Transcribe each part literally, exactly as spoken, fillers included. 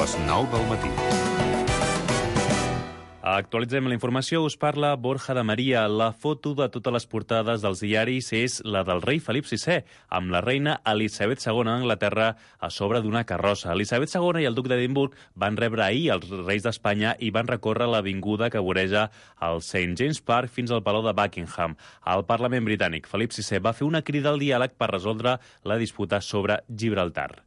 les nou del matí. Actualitzem la informació, us parla Borja de Maria. La foto de totes les portades dels diaris és la del rei Felip sisè, amb la reina Elisabet segona d'Anglaterra a sobre d'una carrossa. Elisabet segona i el duc d'Edimburg van rebre ahir els reis d'Espanya i van recórrer l'avinguda que voreja el Saint James Park fins al Palau de Buckingham. Al Parlament britànic, Felip sisè va fer una crida al diàleg per resoldre la disputa sobre Gibraltar.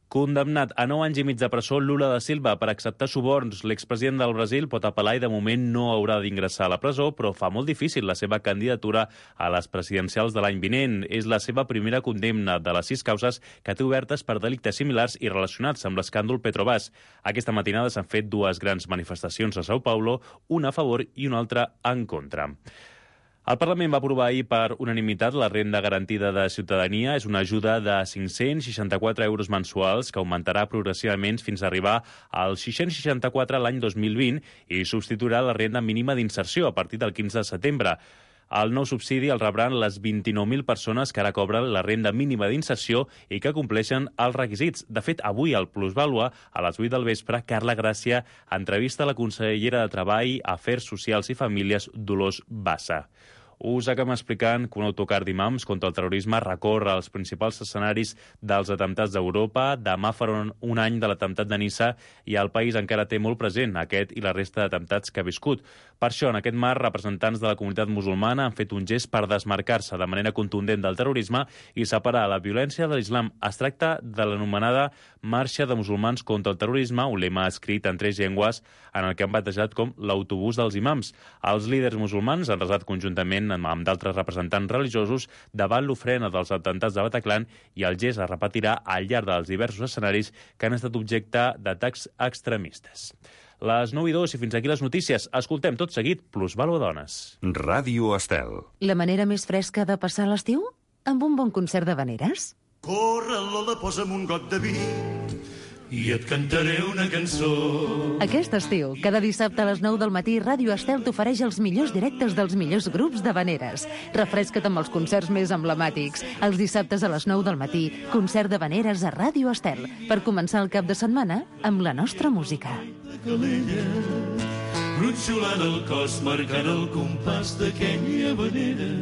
Condemnat a nou anys i mig de presó, Lula da Silva per acceptar suborns. L'expresident del Brasil pot apel·lar i de moment no haurà d'ingressar a la presó, però fa molt difícil la seva candidatura a les presidencials de l'any vinent. És la seva primera condemna de les sis causes que té obertes per delictes similars i relacionats amb l'escàndol Petrobras. Aquesta matinada s'han fet dues grans manifestacions a São Paulo, una a favor i una altra en contra. El Parlament va aprovar ahir per unanimitat la renda garantida de ciutadania. És una ajuda de cinc-cents seixanta-quatre euros mensuals que augmentarà progressivament fins a arribar als sis-cents seixanta-quatre l'any dos mil vint i substituirà la renda mínima d'inserció a partir del quinze de setembre. El nou subsidi el rebran les vint-i-nou mil persones que ara cobren la renda mínima d'inserció i que compleixen els requisits. De fet, avui al Plusvàlua, a les vuit del vespre, Carla Gràcia entrevista la consellera de Treball, Afers Socials i Famílies, Dolors Bassa. Us acabem explicant que un autocar d'imams contra el terrorisme recorre els principals escenaris dels atemptats d'Europa. Demà farà un any de l'atemptat de Niça i el país encara té molt present aquest i la resta d'atemptats que ha viscut. Per això, en aquest marc, representants de la comunitat musulmana han fet un gest per desmarcar-se de manera contundent del terrorisme i separar la violència de l'islam. Es tracta de l'anomenada Marxa de Musulmans contra el Terrorisme, un lema escrit en tres llengües en el que han batejat com l'autobús dels imams. Els líders musulmans han resat conjuntament amb d'altres representants religiosos davant l'ofrena dels atemptats de Bataclan i el gest es repetirà al llarg dels diversos escenaris que han estat objecte d'atacs extremistes. Les nou i dos i fins aquí les notícies. Escoltem tot seguit Plusvàlua Dones. Ràdio Estel. La manera més fresca de passar l'estiu? Amb un bon concert de veneres? Corre, Lola, posa'm un got de vi i et cantaré una cançó. Aquest estiu, cada dissabte a les nou del matí, Ràdio Estel t'ofereix els millors directes dels millors grups de veneres. Refresca't amb els concerts més emblemàtics. Els dissabtes a les nou del matí, concert de veneres a Ràdio Estel, per començar el cap de setmana amb la nostra música. Calella, gronxolant el cos, marcant el compàs d'aquella venera.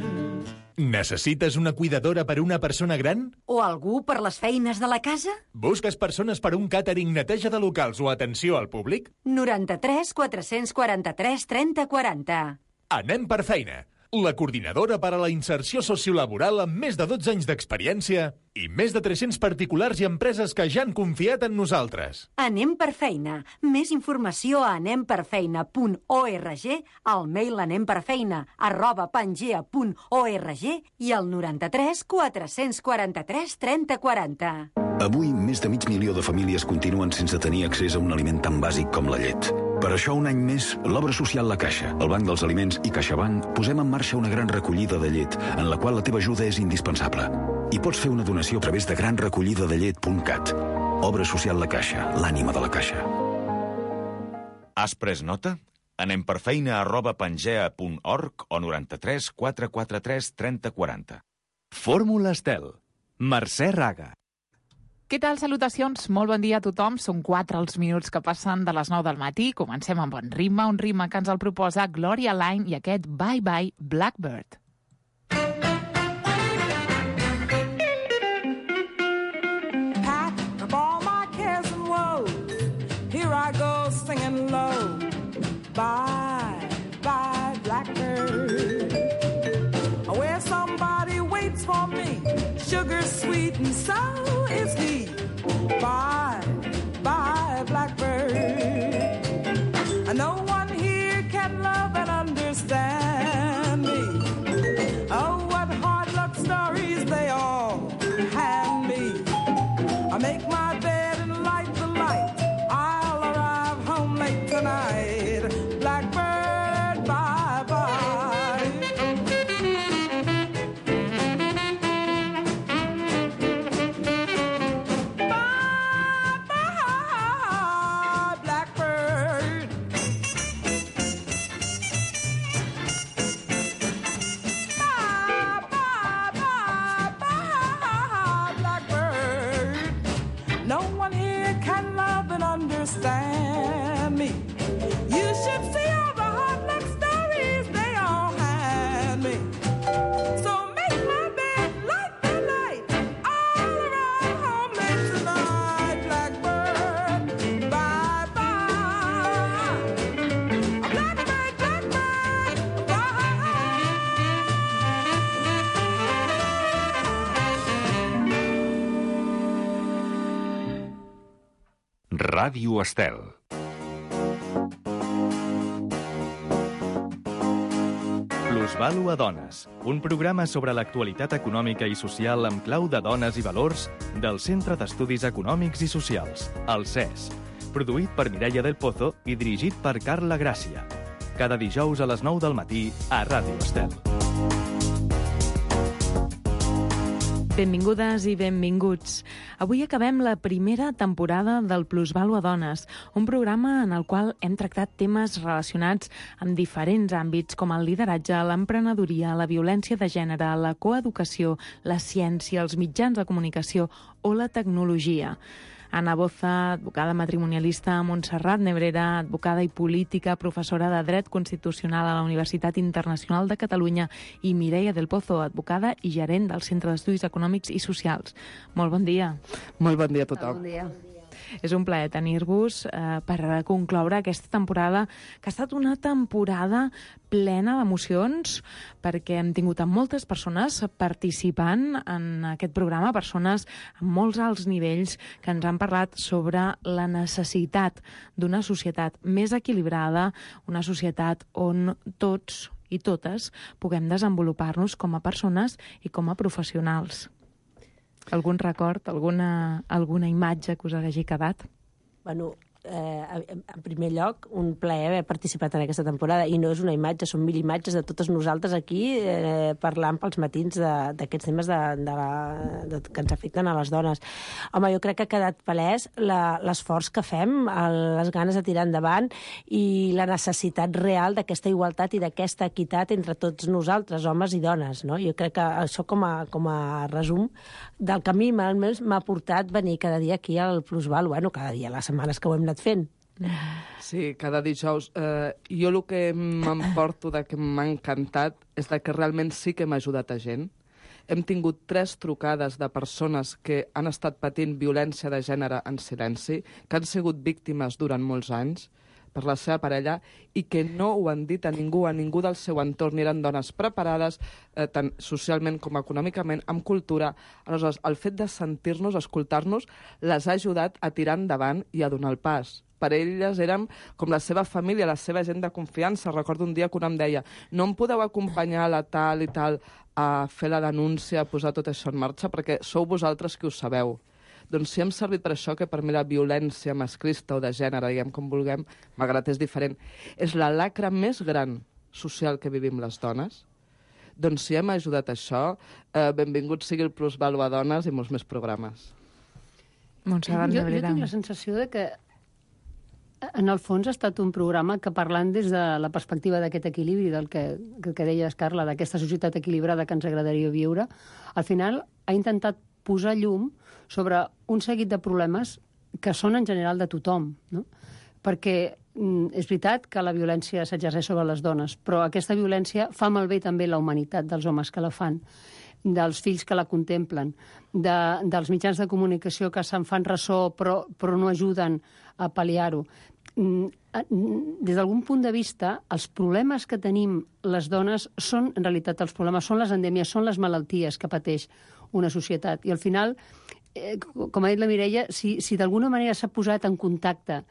Necessites una cuidadora per una persona gran? O algú per les feines de la casa? Busques persones per un càtering, neteja de locals o atenció al públic? noranta-tres quatre-cents quaranta-tres trenta quaranta. Anem per feina. La coordinadora per a la inserció sociolaboral amb més de dotze anys d'experiència i més de tres-cents particulars i empreses que ja han confiat en nosaltres. Anem per feina. Més informació a anem per feina punt org, al mail anemperfeina arroba pangea punt org i al noranta-tres quatre-cents quaranta-tres trenta quaranta. Avui, més de mig milió de famílies continuen sense tenir accés a un aliment tan bàsic com la llet. Per això, un any més, l'Obra Social La Caixa, el Banc dels Aliments i CaixaBank posem en marxa una gran recollida de llet, en la qual la teva ajuda és indispensable. I pots fer una donació a través de gran recollida de llet punt cat. Obra Social La Caixa, l'ànima de la Caixa. Has pres nota? Anem per feina arroba pangea punt org o noranta-tres quatre quaranta-tres trenta quaranta. Fórmula Estel. Mercè Raga. Què tal? Salutacions, molt bon dia a tothom. Són quatre els minuts que passen de les nou del matí. Comencem amb bon ritme, un ritme que ens el proposa Gloria Line i aquest Bye Bye Blackbird. Pack up all my cares and woes. Here I go singing low. Bye, bye, blackbird. Where somebody waits for me. Sugar sweet and so is he. Bye, bye, blackbird. No one here can love and understand me. Oh, what hard luck stories they all hand me. I make my bed and light the light. I'll arrive home late tonight. Blackbird, bye, bye. understand me. You should see all the hard luck stories they all had me. So make my bed, light the light all around home late tonight, blackbird. Bye bye. Blackbird, blackbird, Ràdio Estel. Plusvàlua Dones, un programa sobre l'actualitat econòmica i social amb clau de dones i valors del Centre d'Estudis Econòmics i Socials, el C E S, produït per Mireia del Pozo i dirigit per Carla Gràcia. Cada dijous a les nou del matí a Ràdio Estel. Benvingudes i benvinguts. Avui acabem la primera temporada del Plusvàlua Dones, un programa en el qual hem tractat temes relacionats amb diferents àmbits com el lideratge, l'emprenedoria, la violència de gènere, la coeducació, la ciència, els mitjans de comunicació o la tecnologia. Ana Boza, advocada matrimonialista, Montserrat Nebrera, advocada i política, professora de Dret Constitucional a la Universitat Internacional de Catalunya, i Mireia del Pozo, advocada i gerent del Centre d'Estudis Econòmics i Socials. Molt bon dia. Molt bon dia a tothom. Bon dia. És un plaer tenir-vos eh, per concloure aquesta temporada, que ha estat una temporada plena d'emocions, perquè hem tingut a moltes persones participant en aquest programa, persones amb molts alts nivells que ens han parlat sobre la necessitat d'una societat més equilibrada, una societat on tots i totes puguem desenvolupar-nos com a persones i com a professionals. Algun record, alguna, alguna imatge que us hagi quedat? Bueno, eh, en primer lloc, un plaer haver participat en aquesta temporada, i no és una imatge, són mil imatges de totes nosaltres aquí eh, parlant pels matins d'aquests temes de, de la, de, que ens afecten a les dones. Home, jo crec que ha quedat palès l'esforç que fem, el, les ganes de tirar endavant i la necessitat real d'aquesta igualtat i d'aquesta equitat entre tots nosaltres, homes i dones, no? Jo crec que això com a, com a resum del que a mi almenys m'ha portat venir cada dia aquí al Plusvàlua, bueno, cada dia, les setmanes que ho hem anat fent. Sí, cada dijous. Eh, jo el que m'emporto de que m'ha encantat és de que realment sí que m'ha ajudat a gent. Hem tingut tres trucades de persones que han estat patint violència de gènere en silenci, que han sigut víctimes durant molts anys per la seva parella i que no ho han dit a ningú, a ningú del seu entorn. Eren dones preparades, eh, tant socialment com econòmicament, amb cultura. Aleshores, el fet de sentir-nos, escoltar-nos, les ha ajudat a tirar endavant i a donar el pas. Per elles érem com la seva família, la seva gent de confiança. Recordo un dia que una em deia: no em podeu acompanyar a la tal i tal a fer la denúncia, a posar tot això en marxa, perquè sou vosaltres qui ho sabeu. Doncs si hem servit per això, que per mi la violència masclista o de gènere, diguem com vulguem, malgrat és diferent, és la lacra més gran social que vivim les dones, doncs si hem ajudat a això, eh, benvingut sigui el Plusvàlua Dones i molts més programes. Montserrat Nebrera. Jo, jo tinc la sensació de que en el fons ha estat un programa que, parlant des de la perspectiva d'aquest equilibri, del que, que deies, Carla, d'aquesta societat equilibrada que ens agradaria viure, al final ha intentat posar llum sobre un seguit de problemes que són en general de tothom, no? Perquè mm, és veritat que la violència s'exerceix sobre les dones, però aquesta violència fa malbé també la humanitat dels homes que la fan, dels fills que la contemplen, de, dels mitjans de comunicació que se'n fan ressò però, però no ajuden a pal·liar-ho. Des d'algun punt de vista, els problemes que tenim les dones són, en realitat, els problemes són les endèmies, són les malalties que pateix una societat. I al final, eh, com ha dit la Mireia, si, si d'alguna manera s'ha posat en contacte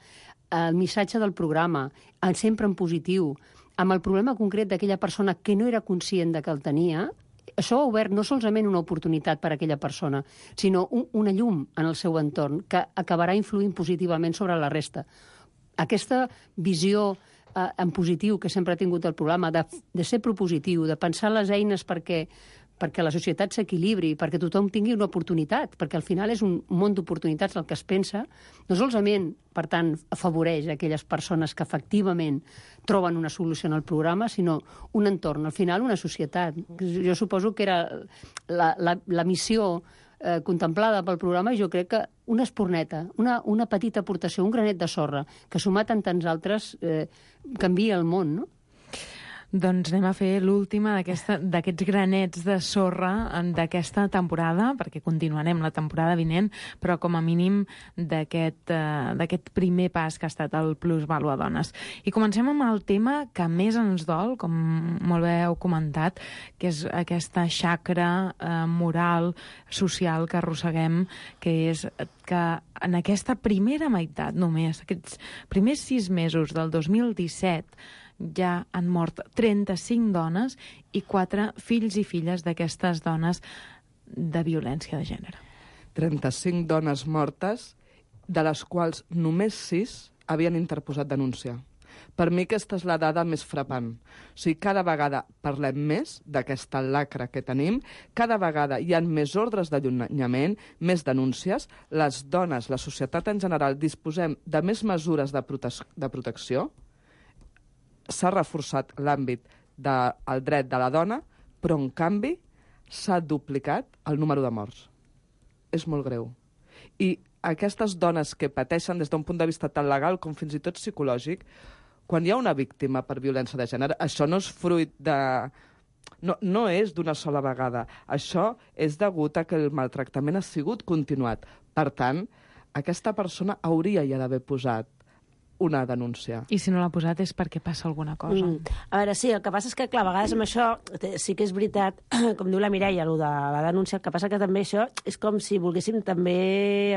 el missatge del programa, sempre en positiu, amb el problema concret d'aquella persona que no era conscient de que el tenia, això ha obert no solament una oportunitat per a aquella persona, sinó un, una llum en el seu entorn que acabarà influint positivament sobre la resta. Aquesta visió eh, en positiu que sempre ha tingut el programa, de, de ser propositiu, de pensar les eines perquè, perquè la societat s'equilibri, perquè tothom tingui una oportunitat, perquè al final és un món d'oportunitats el que es pensa, no solament, per tant, afavoreix aquelles persones que efectivament troben una solució en el programa, sinó un entorn, al final una societat. Jo suposo que era la, la, la missió eh, contemplada pel programa, jo crec que una esporneta, una, una petita aportació, un granet de sorra, que sumat en tants altres, eh, canvia el món, no? Doncs anem a fer l'última d'aquests granets de sorra d'aquesta temporada, perquè continuarem la temporada vinent, però com a mínim d'aquest uh, primer pas que ha estat el Plusvàlua Dones. I comencem amb el tema que més ens dol, com molt bé heu comentat, que és aquesta xacra uh, moral, social que arrosseguem, que és que en aquesta primera meitat només, aquests primers sis mesos del dos mil disset, ja han mort trenta-cinc dones i quatre fills i filles d'aquestes dones de violència de gènere. trenta-cinc dones mortes, de les quals només sis havien interposat denúncia. Per mi aquesta és la dada més frapant. O sigui, cada vegada parlem més d'aquesta lacra que tenim, cada vegada hi ha més ordres d'allunyament, més denúncies, les dones, la societat en general, disposem de més mesures de, prote de protecció, s'ha reforçat l'àmbit del dret de la dona, però, en canvi, s'ha duplicat el número de morts. És molt greu. I aquestes dones que pateixen des d'un punt de vista tant legal com fins i tot psicològic, quan hi ha una víctima per violència de gènere, això no és fruit de... No, no és d'una sola vegada. Això és degut a que el maltractament ha sigut continuat. Per tant, aquesta persona hauria ja d'haver posat una denúncia. I si no l'ha posat és perquè passa alguna cosa. Mm. A veure, sí, el que passa és que, clar, a vegades amb això sí que és veritat, com diu la Mireia, el de la denúncia, el que passa que també això és com si volguéssim també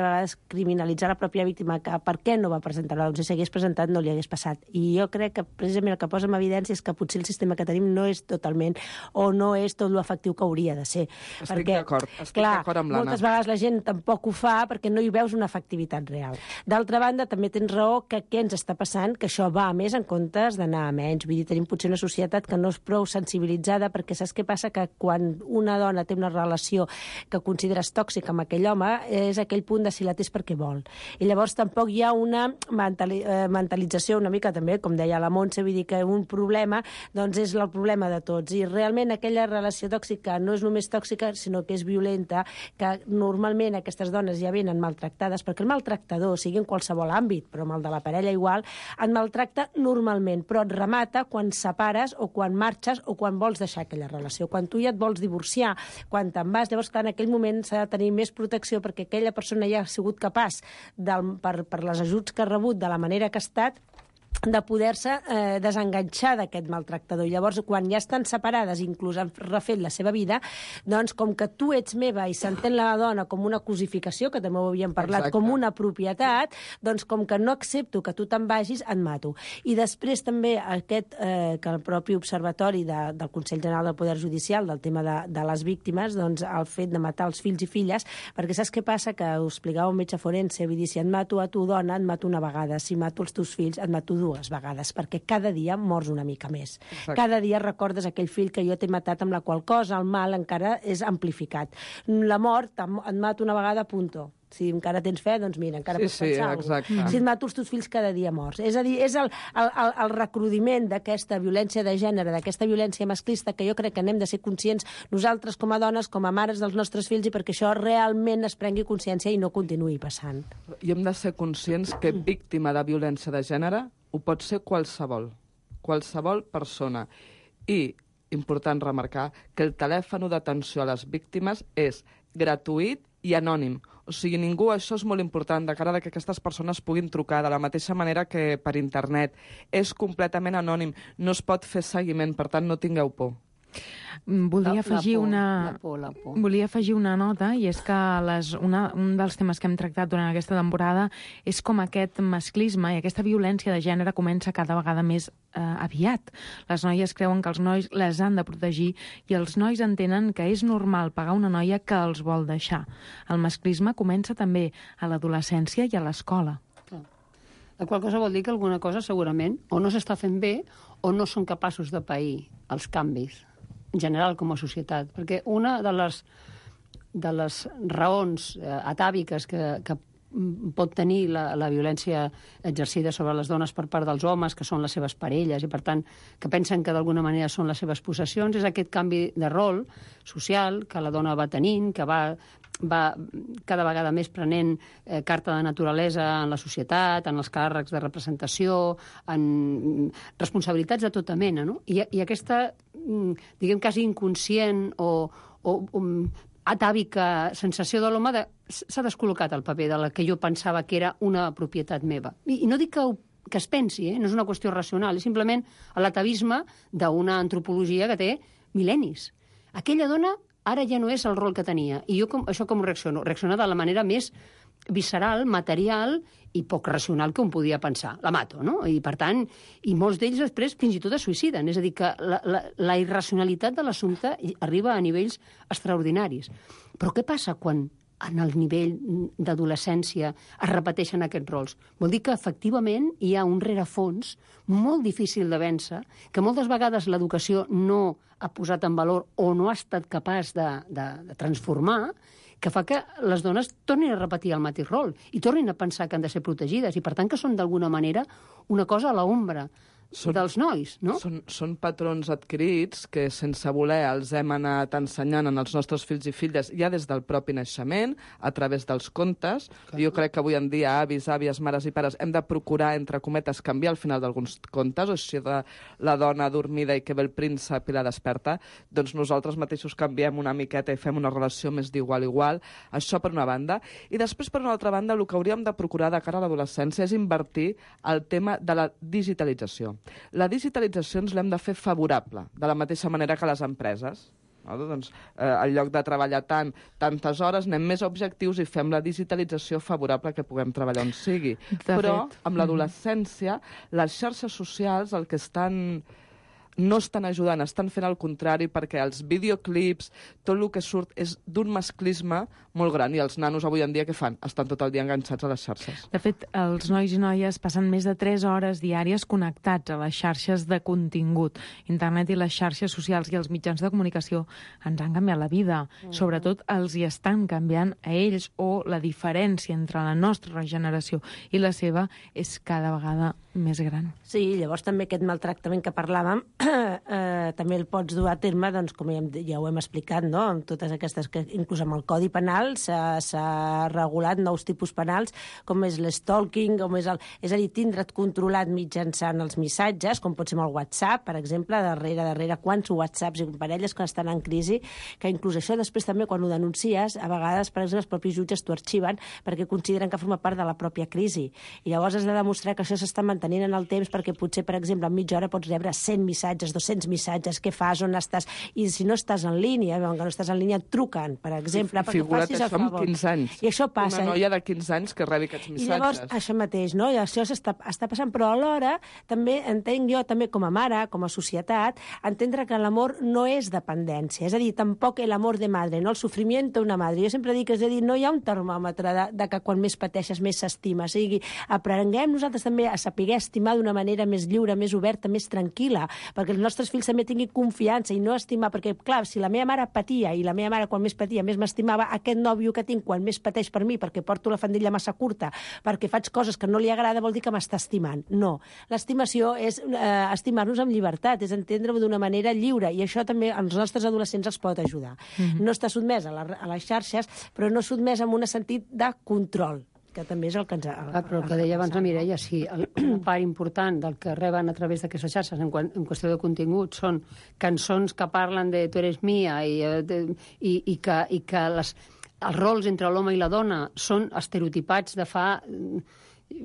a vegades criminalitzar la pròpia víctima, que per què no va presentar la denúncia, si hagués presentat no li hagués passat. I jo crec que precisament el que posa en evidència és que potser el sistema que tenim no és totalment o no és tot l'efectiu que hauria de ser. Estic perquè, d'acord, estic clar, d'acord amb l'Anna. Moltes vegades la gent tampoc ho fa perquè no hi veus una efectivitat real. D'altra banda, també tens raó que què ens està passant, que això va a més en comptes d'anar a menys. Vull dir, tenim potser una societat que no és prou sensibilitzada, perquè saps què passa? Que quan una dona té una relació que consideres tòxica amb aquell home, és aquell punt de si la té és perquè vol. I llavors tampoc hi ha una mentali eh, mentalització una mica també, com deia la Montse, vull dir que un problema doncs és el problema de tots. I realment aquella relació tòxica no és només tòxica, sinó que és violenta, que normalment aquestes dones ja venen maltractades, perquè el maltractador, sigui en qualsevol àmbit, però amb el de la parella igual, et maltracta normalment, però et remata quan separes o quan marxes o quan vols deixar aquella relació. Quan tu ja et vols divorciar, quan te'n vas, llavors clar, en aquell moment s'ha de tenir més protecció perquè aquella persona ja ha sigut capaç, del, per, per les ajuts que ha rebut, de la manera que ha estat, de poder-se eh, desenganxar d'aquest maltractador. I llavors, quan ja estan separades, inclús han refet la seva vida, doncs, com que tu ets meva i s'entén la dona com una cosificació, que també ho havíem parlat, exacte, com una propietat, doncs, com que no accepto que tu te'n vagis, et mato. I després també aquest, eh, que el propi observatori de, del Consell General del Poder Judicial, del tema de, de les víctimes, doncs, el fet de matar els fills i filles, perquè saps què passa? Que ho explicava un metge forense, vull dir, si et mato a tu dona, et mato una vegada, si mato els teus fills, et mato dues vegades, perquè cada dia mors una mica més. Exacte. Cada dia recordes aquell fill que jo t'he matat, amb la qual cosa el mal encara és amplificat. La mort et mato una vegada, punto. Si encara tens fe, doncs mira, encara sí, pots pensar sí, alguna cosa. Si et mato els teus fills cada dia morts. És a dir, és el, el, el, el recrudiment d'aquesta violència de gènere, d'aquesta violència masclista, que jo crec que anem de ser conscients nosaltres com a dones, com a mares dels nostres fills, i perquè això realment es prengui consciència i no continuï passant. I hem de ser conscients que víctima de violència de gènere ho pot ser qualsevol, qualsevol persona. I, important remarcar, que el telèfon d'atenció a les víctimes és gratuït i anònim. O sigui, ningú, això és molt important, de cara a que aquestes persones puguin trucar de la mateixa manera que per internet. És completament anònim, no es pot fer seguiment, per tant, no tingueu por. Volia La- la afegir por, una... la por, la por. Volia afegir una nota, i és que les, una, un dels temes que hem tractat durant aquesta temporada és com aquest masclisme i aquesta violència de gènere comença cada vegada més eh, aviat. Les noies creuen que els nois les han de protegir i els nois entenen que és normal pagar una noia que els vol deixar. El masclisme comença també a l'adolescència i a l'escola. La qual cosa vol dir que alguna cosa segurament o no s'està fent bé o no són capaços de pair els canvis en general com a societat. Perquè una de les, de les raons eh, atàviques que, que pot tenir la, la violència exercida sobre les dones per part dels homes, que són les seves parelles, i per tant que pensen que d'alguna manera són les seves possessions. És aquest canvi de rol social que la dona va tenint, que va, va cada vegada més prenent eh, carta de naturalesa en la societat, en els càrrecs de representació, en responsabilitats de tota mena, no? I, i aquesta, diguem, quasi inconscient o, o um, atàvica sensació de l'home de, s'ha descol·locat el paper de la que jo pensava que era una propietat meva. I, i no dic que, que es pensi, eh? No és una qüestió racional, és simplement l'atavisme d'una antropologia que té mil·lennis. Aquella dona ara ja no és el rol que tenia. I jo com, això com reacciono? Reacciono de la manera més visceral, material i poc racional que un podia pensar. La mato, no? I, per tant, i molts d'ells després fins i tot es suïciden. És a dir, que la, la, la irracionalitat de l'assumpte arriba a nivells extraordinaris. Però què passa quan en el nivell d'adolescència es repeteixen aquests rols? Vol dir que, efectivament, hi ha un rerefons molt difícil de vèncer, que moltes vegades l'educació no ha posat en valor o no ha estat capaç de, de, de transformar, que fa que les dones tornin a repetir el mateix rol i tornin a pensar que han de ser protegides i, per tant, que són d'alguna manera una cosa a l'ombra són, dels nois, no? Són, són patrons adquirits que, sense voler, els hem anat ensenyant en els nostres fills i filles ja des del propi naixement, a través dels contes. Clar. Jo crec que avui en dia avis, àvies, mares i pares hem de procurar, entre cometes, canviar al final d'alguns contes, o si de la dona dormida i que ve el príncep i la desperta, doncs nosaltres mateixos canviem una miqueta i fem una relació més d'igual a igual. Això per una banda. I després, per una altra banda, el que hauríem de procurar de cara a l'adolescència és invertir el tema de la digitalització. La digitalització ens l'hem de fer favorable, de la mateixa manera que les empreses. No? Doncs, eh, en lloc de treballar tant, tantes hores, anem més objectius i fem la digitalització favorable que puguem treballar on sigui. De Però, fet. amb l'adolescència, les xarxes socials el que estan... no estan ajudant, estan fent el contrari, perquè els videoclips, tot el que surt és d'un masclisme molt gran, i els nanos avui en dia què fan? Estan tot el dia enganxats a les xarxes. De fet, els nois i noies passen més de tres hores diàries connectats a les xarxes de contingut. Internet i les xarxes socials i els mitjans de comunicació ens han canviat la vida. Mm. Sobretot els hi estan canviant a ells, o la diferència entre la nostra generació i la seva és cada vegada més gran. Sí, llavors també aquest maltractament que parlàvem eh, també el pots dur a terme, doncs, com ja, ja ho hem explicat, no? Amb totes aquestes, que inclús amb el Codi Penal s'ha regulat nous tipus penals, com és l'stalking, com és el... És a dir, tindre't controlat mitjançant els missatges, com pot ser amb el WhatsApp, per exemple, darrere, darrere, quants WhatsApps i parelles que estan en crisi, que inclús això després també, quan ho denuncies, a vegades, per exemple, els propis jutges t'ho arxiven perquè consideren que forma part de la pròpia crisi. I llavors has de demostrar que això s'està mantenint en el temps, perquè potser, per exemple, en mitja hora pots rebre cent missatges, doscents missatges, què fas, on estàs, i si no estàs en línia, veuen que no estàs en línia, et truquen, per exemple, perquè Figura't facis el això amb favor. quinze anys. I això passa. Una noia de quinze anys que rebi aquests missatges. I llavors, això mateix, no? I això està, està passant, però alhora també entenc jo, també com a mare, com a societat, entendre que l'amor no és dependència, és a dir, tampoc l'amor de madre, no? El sofriment d'una madre. Jo sempre dic, és a dir, no hi ha un termòmetre de, de que quan més pateixes més s'estima. O sigui, aprenguem nosaltres també a saber estimar d'una manera més lliure, més oberta, més tranquil·la, perquè els nostres fills també tinguin confiança i no estimar, perquè, clar, si la meva mare patia i la meva mare quan més patia més m'estimava, aquest nòvio que tinc quan més pateix per mi perquè porto la faldilla massa curta, perquè faig coses que no li agrada, vol dir que m'està estimant. No. L'estimació és eh, estimar-nos amb llibertat, és entendre-ho d'una manera lliure, i això també als nostres adolescents els pot ajudar. Mm-hmm. No està sotmès a, la, a les xarxes, però no sotmès amb un sentit de control, que també és el que ens ha... Ah, però el que deia abans la Mireia, sí, una part important del que reben a través d'aquestes xarxes en, en qüestió de contingut són cançons que parlen de tu eres mia i, de, i, i que, i que les, els rols entre l'home i la dona són estereotipats de fa...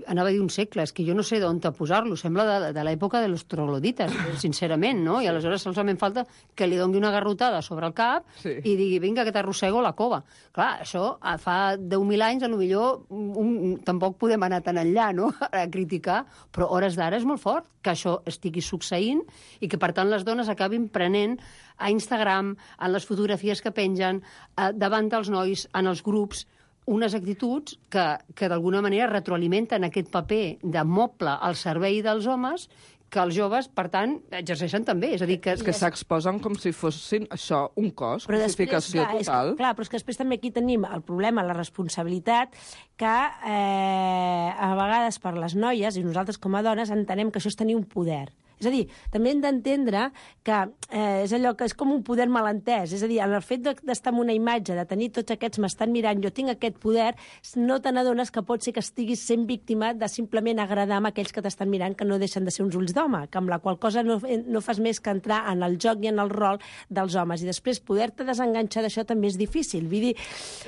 anava a dir un segle, és que jo no sé d'on posar-lo, sembla de, de l'època de los troglodites, sincerament, no? I aleshores solament falta que li doni una garrotada sobre el cap sí. i digui, vinga, que t'arrossego la cova. Clar, això fa deu mil anys, potser un, un, tampoc podem anar tan enllà, no?, a criticar, però hores d'ara és molt fort que això estigui succeint i que, per tant, les dones acabin prenent a Instagram, en les fotografies que pengen, eh, davant dels nois, en els grups, unes actituds que, que d'alguna manera retroalimenten aquest paper de moble al servei dels homes, que els joves, per tant, exerceixen també. És a dir, que... És que s'exposen com si fossin, això, un cos, però després, cosificació clar, total. És, clar, però és que després també aquí tenim el problema, la responsabilitat, que eh, a vegades per les noies, i nosaltres com a dones, entenem que això és tenir un poder. És a dir, també hem d'entendre que eh, és allò que és com un poder malentès. És a dir, en el fet d'estar en una imatge, de tenir tots aquests m'estan mirant, jo tinc aquest poder, no te n'adones que pot ser que estiguis sent víctima de simplement agradar amb aquells que t'estan mirant, que no deixen de ser uns ulls d'home, que amb la qual cosa no, no fas més que entrar en el joc i en el rol dels homes. I després poder-te desenganxar d'això també és difícil. Vull dir,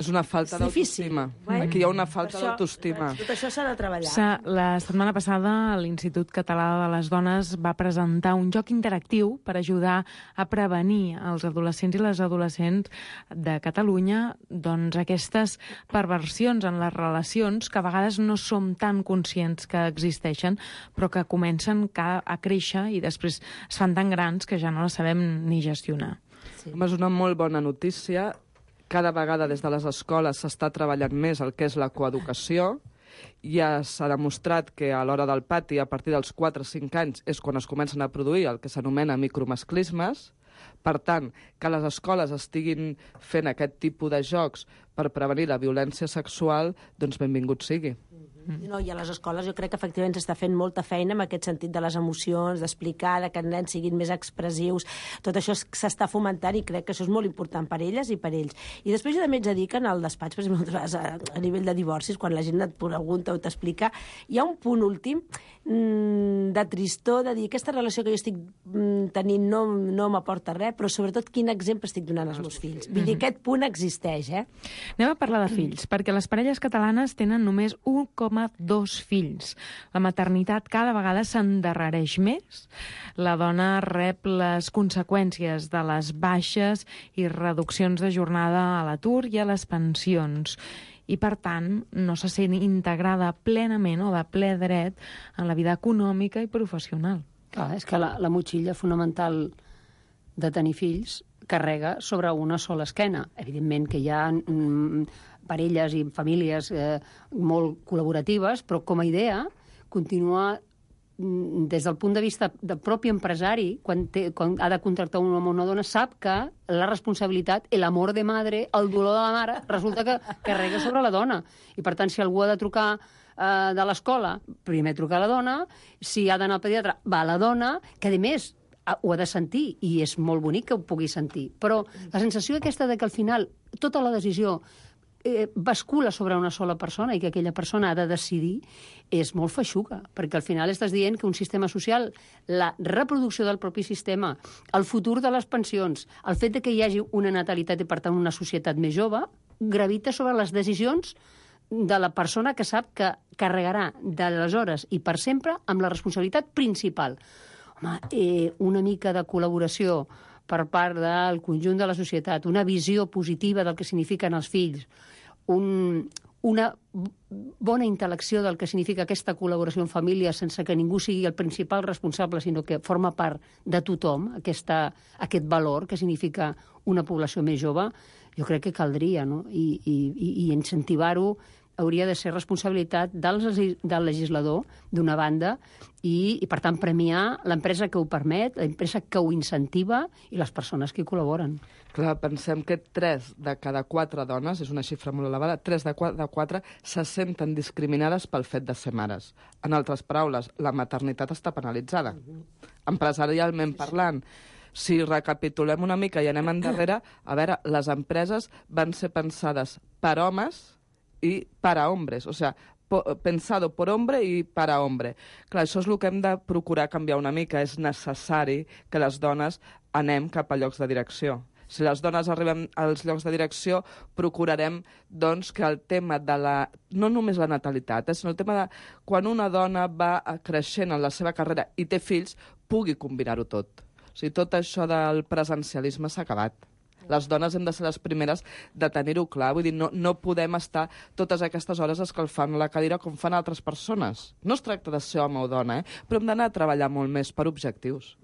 és una falta d'autoestima. Aquí hi ha una falta d'autoestima. Tot això s'ha de treballar. La setmana passada l'Institut Català de les Dones va presentar un joc interactiu per ajudar a prevenir als adolescents i les adolescents de Catalunya doncs, aquestes perversions en les relacions que a vegades no som tan conscients que existeixen, però que comencen a créixer i després es fan tan grans que ja no les sabem ni gestionar. Sí. És una molt bona notícia. Cada vegada des de les escoles s'està treballant més el que és la coeducació. Ja s'ha demostrat que a l'hora del pati, a partir dels quatre o cinc anys, és quan es comencen a produir el que s'anomena micromasclismes. Per tant, que les escoles estiguin fent aquest tipus de jocs per prevenir la violència sexual, doncs benvingut sigui. No, i a les escoles jo crec que efectivament s'està fent molta feina en aquest sentit de les emocions, d'explicar, de que els nens siguin més expressius. Tot això s'està fomentant i crec que això és molt important per elles i per ells. I després jo també ets a dir que en el despatx, per exemple, a, a nivell de divorcis, quan la gent et pregunta o t'explica, hi ha un punt últim mmm, de tristor, de dir aquesta relació que jo estic mmm, tenint no, no m'aporta res, però sobretot quin exemple estic donant als meus fills. Vull dir, aquest punt existeix, eh? Anem a parlar de fills, perquè les parelles catalanes tenen només un coma dos fills. La maternitat cada vegada s'endarrereix més. La dona rep les conseqüències de les baixes i reduccions de jornada a l'atur i a les pensions. I, per tant, no se sent integrada plenament o de ple dret en la vida econòmica i professional. Clar, és que la, la motxilla fonamental de tenir fills carrega sobre una sola esquena. Evidentment que hi ha mm, parelles i famílies eh, molt col·laboratives, però com a idea continua mm, des del punt de vista del propi empresari, quan, té, quan ha de contractar un home o una dona, sap que la responsabilitat, l'amor de madre, el dolor de la mare, resulta que carrega sobre la dona. I per tant, si algú ha de trucar eh, de l'escola, primer truca a la dona, si ha d'anar al pediatre, va a la dona, que a més ho ha de sentir, i és molt bonic que ho pugui sentir. Però la sensació aquesta de que al final tota la decisió eh, bascula sobre una sola persona i que aquella persona ha de decidir és molt feixuga, perquè al final estàs dient que un sistema social, la reproducció del propi sistema, el futur de les pensions, el fet de que hi hagi una natalitat i per tant una societat més jove, gravita sobre les decisions de la persona que sap que carregarà d'aleshores i per sempre amb la responsabilitat principal. Home, eh, una mica de col·laboració per part del conjunt de la societat, una visió positiva del que signifiquen els fills, un, una bona intel·lecció del que significa aquesta col·laboració en família sense que ningú sigui el principal responsable, sinó que forma part de tothom, aquesta, aquest valor que significa una població més jove, jo crec que caldria, no? I, i, i incentivar-ho hauria de ser responsabilitat del, del legislador, d'una banda, i, i per tant premiar l'empresa que ho permet, l'empresa que ho incentiva i les persones que hi col·laboren. Clar, pensem que tres de cada quatre dones, és una xifra molt elevada, tres de quatre se senten discriminades pel fet de ser mares. En altres paraules, la maternitat està penalitzada. Empresarialment parlant, si recapitulem una mica i anem endarrere, a veure, les empreses van ser pensades per homes i para hombres, o sea, pensado por hombre i para hombre. Clar, això és el que hem de procurar canviar una mica. És necessari que les dones anem cap a llocs de direcció. Si les dones arribem als llocs de direcció, procurarem doncs, que el tema de la... no només la natalitat, eh, sinó el tema de quan una dona va creixent en la seva carrera i té fills, pugui combinar-ho tot. O sigui, tot això del presencialisme s'ha acabat. Les dones hem de ser les primeres de tenir-ho clar. Vull dir, no, no podem estar totes aquestes hores escalfant la cadira com fan altres persones. No es tracta de ser home o dona, eh? Però hem d'anar a treballar molt més per objectius.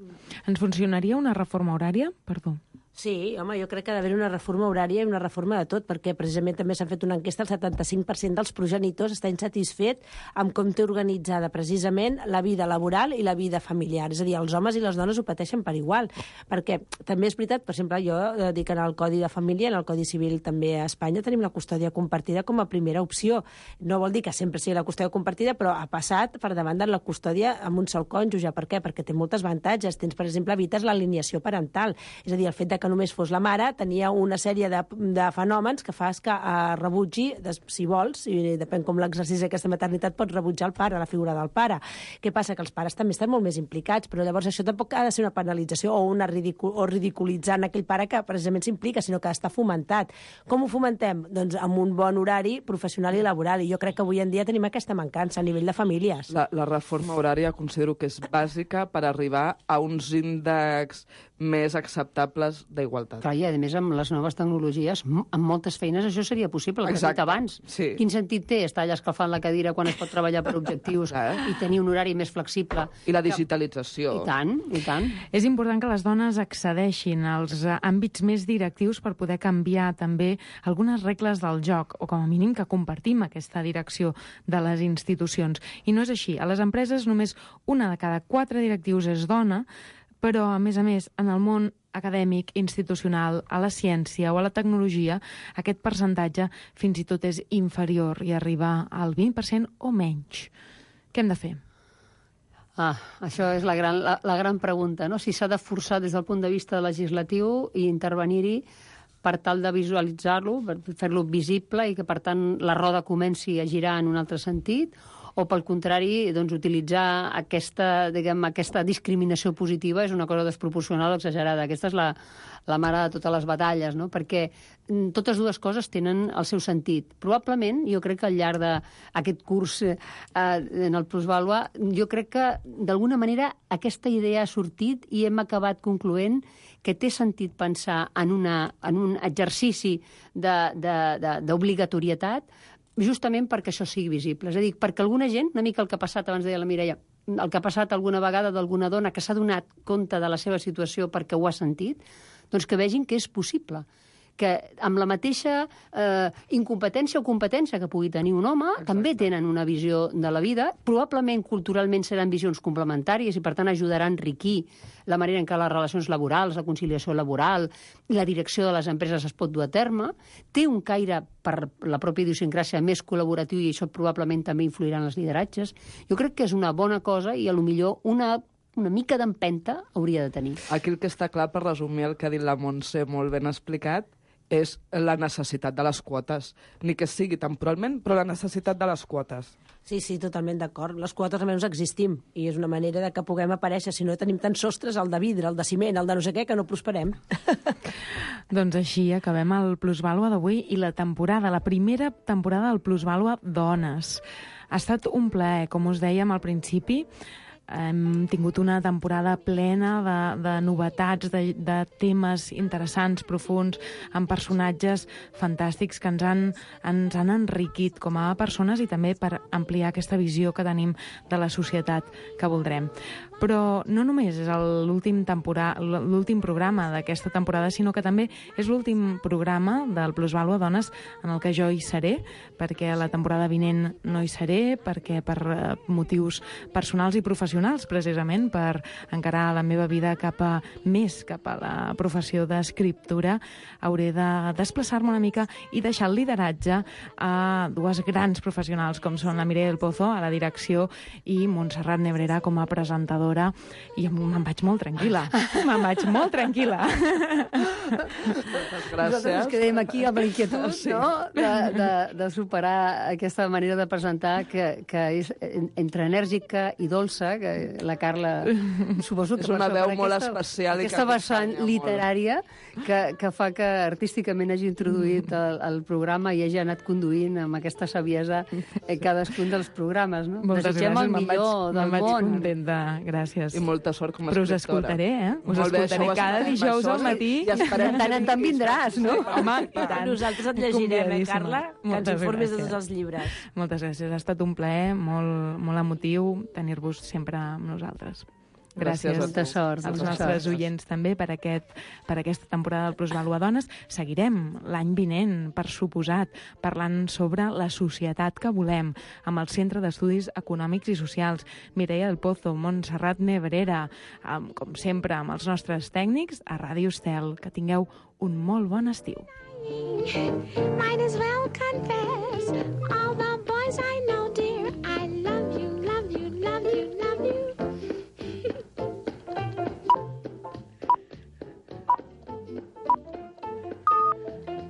Ens funcionaria una reforma horària? Perdó. Sí, home, jo crec que ha d'haver una reforma horària i una reforma de tot, perquè precisament també s'ha fet una enquesta, el setanta-cinc per cent dels progenitors està insatisfet amb com té organitzada precisament la vida laboral i la vida familiar. És a dir, els homes i les dones ho pateixen per igual, perquè també és veritat, per exemple, jo dic en el Codi de Família, en el Codi Civil també a Espanya tenim la custòdia compartida com a primera opció. No vol dir que sempre sigui la custòdia compartida, però ha passat per davant de la custòdia amb un sol cònjuge. Per què? Perquè té moltes avantatges. Tens, per exemple, evites l'alineació parental. És a dir, el fet de que només fos la mare tenia una sèrie de, de fenòmens que fas que eh, rebutgi, des, si vols, i depèn com l'exercici d'aquesta maternitat, pots rebutjar el pare, la figura del pare. Què passa? Que els pares també estan molt més implicats, però llavors això tampoc ha de ser una penalització o, una ridicul o ridiculitzant aquell pare que precisament s'implica, sinó que està fomentat. Com ho fomentem? Doncs amb un bon horari professional i laboral, i jo crec que avui en dia tenim aquesta mancança a nivell de famílies. La, la reforma horària considero que és bàsica per arribar a uns índexs més acceptables d'igualtat. Clar, i a més amb les noves tecnologies, amb moltes feines això seria possible, el que he dit abans. Sí. Quin sentit té estar allà escalfant la cadira quan es pot treballar per objectius i tenir un horari més flexible? I la digitalització. I tant, i tant. És important que les dones accedeixin als àmbits més directius per poder canviar també algunes regles del joc, o com a mínim que compartim aquesta direcció de les institucions. I no és així. A les empreses només una de cada quatre directius és dona, però, a més a més, en el món acadèmic, institucional, a la ciència o a la tecnologia, aquest percentatge fins i tot és inferior i arriba al vint per cent o menys. Què hem de fer? Ah, això és la gran, la, la gran pregunta, no? Si s'ha de forçar des del punt de vista legislatiu i intervenir-hi per tal de visualitzar-lo, per fer-lo visible i que, per tant, la roda comenci a girar en un altre sentit, o, pel contrari, doncs, utilitzar aquesta, diguem, aquesta discriminació positiva és una cosa desproporcional o exagerada. Aquesta és la, la mare de totes les batalles, no? Perquè totes dues coses tenen el seu sentit. Probablement, jo crec que al llarg d'aquest curs eh, en el Plusvàlua, jo crec que, d'alguna manera, aquesta idea ha sortit i hem acabat concloent que té sentit pensar en, una, en un exercici d'obligatorietat, justament perquè això sigui visible. És a dir, perquè alguna gent, una mica el que ha passat, abans deia la Mireia, el que ha passat alguna vegada d'alguna dona que s'ha donat compte de la seva situació perquè ho ha sentit, doncs que vegin que és possible, que amb la mateixa eh, incompetència o competència que pugui tenir un home, exacte, també tenen una visió de la vida, probablement culturalment seran visions complementàries i per tant ajudaran a enriquir la manera en què les relacions laborals, la conciliació laboral i la direcció de les empreses es pot dur a terme, té un caire per la pròpia idiosincràsia més col·laboratiu i això probablement també influirà en els lideratges. Jo crec que és una bona cosa i a lo millor una una mica d'empenta hauria de tenir. Aquí el que està clar, per resumir el que ha dit la Montse molt ben explicat, és la necessitat de les quotes. Ni que sigui temporalment, però la necessitat de les quotes. Sí, sí, totalment d'acord. Les quotes almenys existim i és una manera de que puguem aparèixer. Si no tenim tants sostres, el de vidre, el de ciment, el de no sé què, que no prosperem. Doncs així acabem el Plusvàlua d'avui i la temporada, la primera temporada del Plusvàlua Dones. Ha estat un plaer, com us dèiem al principi. Hem tingut una temporada plena de, de novetats, de, de temes interessants, profuns, amb personatges fantàstics que ens han, ens han enriquit com a persones i també per ampliar aquesta visió que tenim de la societat que voldrem. Però no només és l'últim l'últim programa d'aquesta temporada, sinó que també és l'últim programa del Plusvàlua Dones en el que jo hi seré, perquè la temporada vinent no hi seré, perquè per motius personals i professionals, precisament per encarar la meva vida cap a més, cap a la professió d'escriptura, hauré de desplaçar-me una mica i deixar el lideratge a dues grans professionals com són la Mireia del Pozo a la direcció i Montserrat Nebrera com a presentadora, i me'n vaig molt tranquil·la. Me'n vaig molt tranquil·la. Gràcies. Nosaltres ens quedem aquí amb l'inquietud, sí, no? de, de, de superar aquesta manera de presentar que, que és entre enèrgica i dolça, que la Carla suposo que és una veu molt aquesta, especial aquesta vessant literària que, que fa que artísticament hagi introduït el, el programa i hagi anat conduint amb aquesta saviesa cadascun dels programes, no? Moltes Desitgem gràcies, el millor del món. Me'n vaig contenta, gràcies. I molta sort com a Però us escriptora. escoltaré, eh? Us Molt bé, escoltaré cada dijous al matí. I esperem tant en tant vindràs, no? Home, i tant. Nosaltres et llegirem, eh, Carla? Que ens informis de tots els llibres. Moltes gràcies. Ha estat un plaer molt, molt emotiu tenir-vos sempre amb nosaltres. Gràcies, molta sort. als molta nostres sort. oients també per, aquest, per aquesta temporada del Plusvalua Dones. Seguirem l'any vinent, per suposat, parlant sobre la societat que volem, amb el Centre d'Estudis Econòmics i Socials, Mireia del Pozo, Montserrat Nebrera, amb, com sempre, amb els nostres tècnics, a Ràdio Estel. Que tingueu un molt bon estiu. Might as well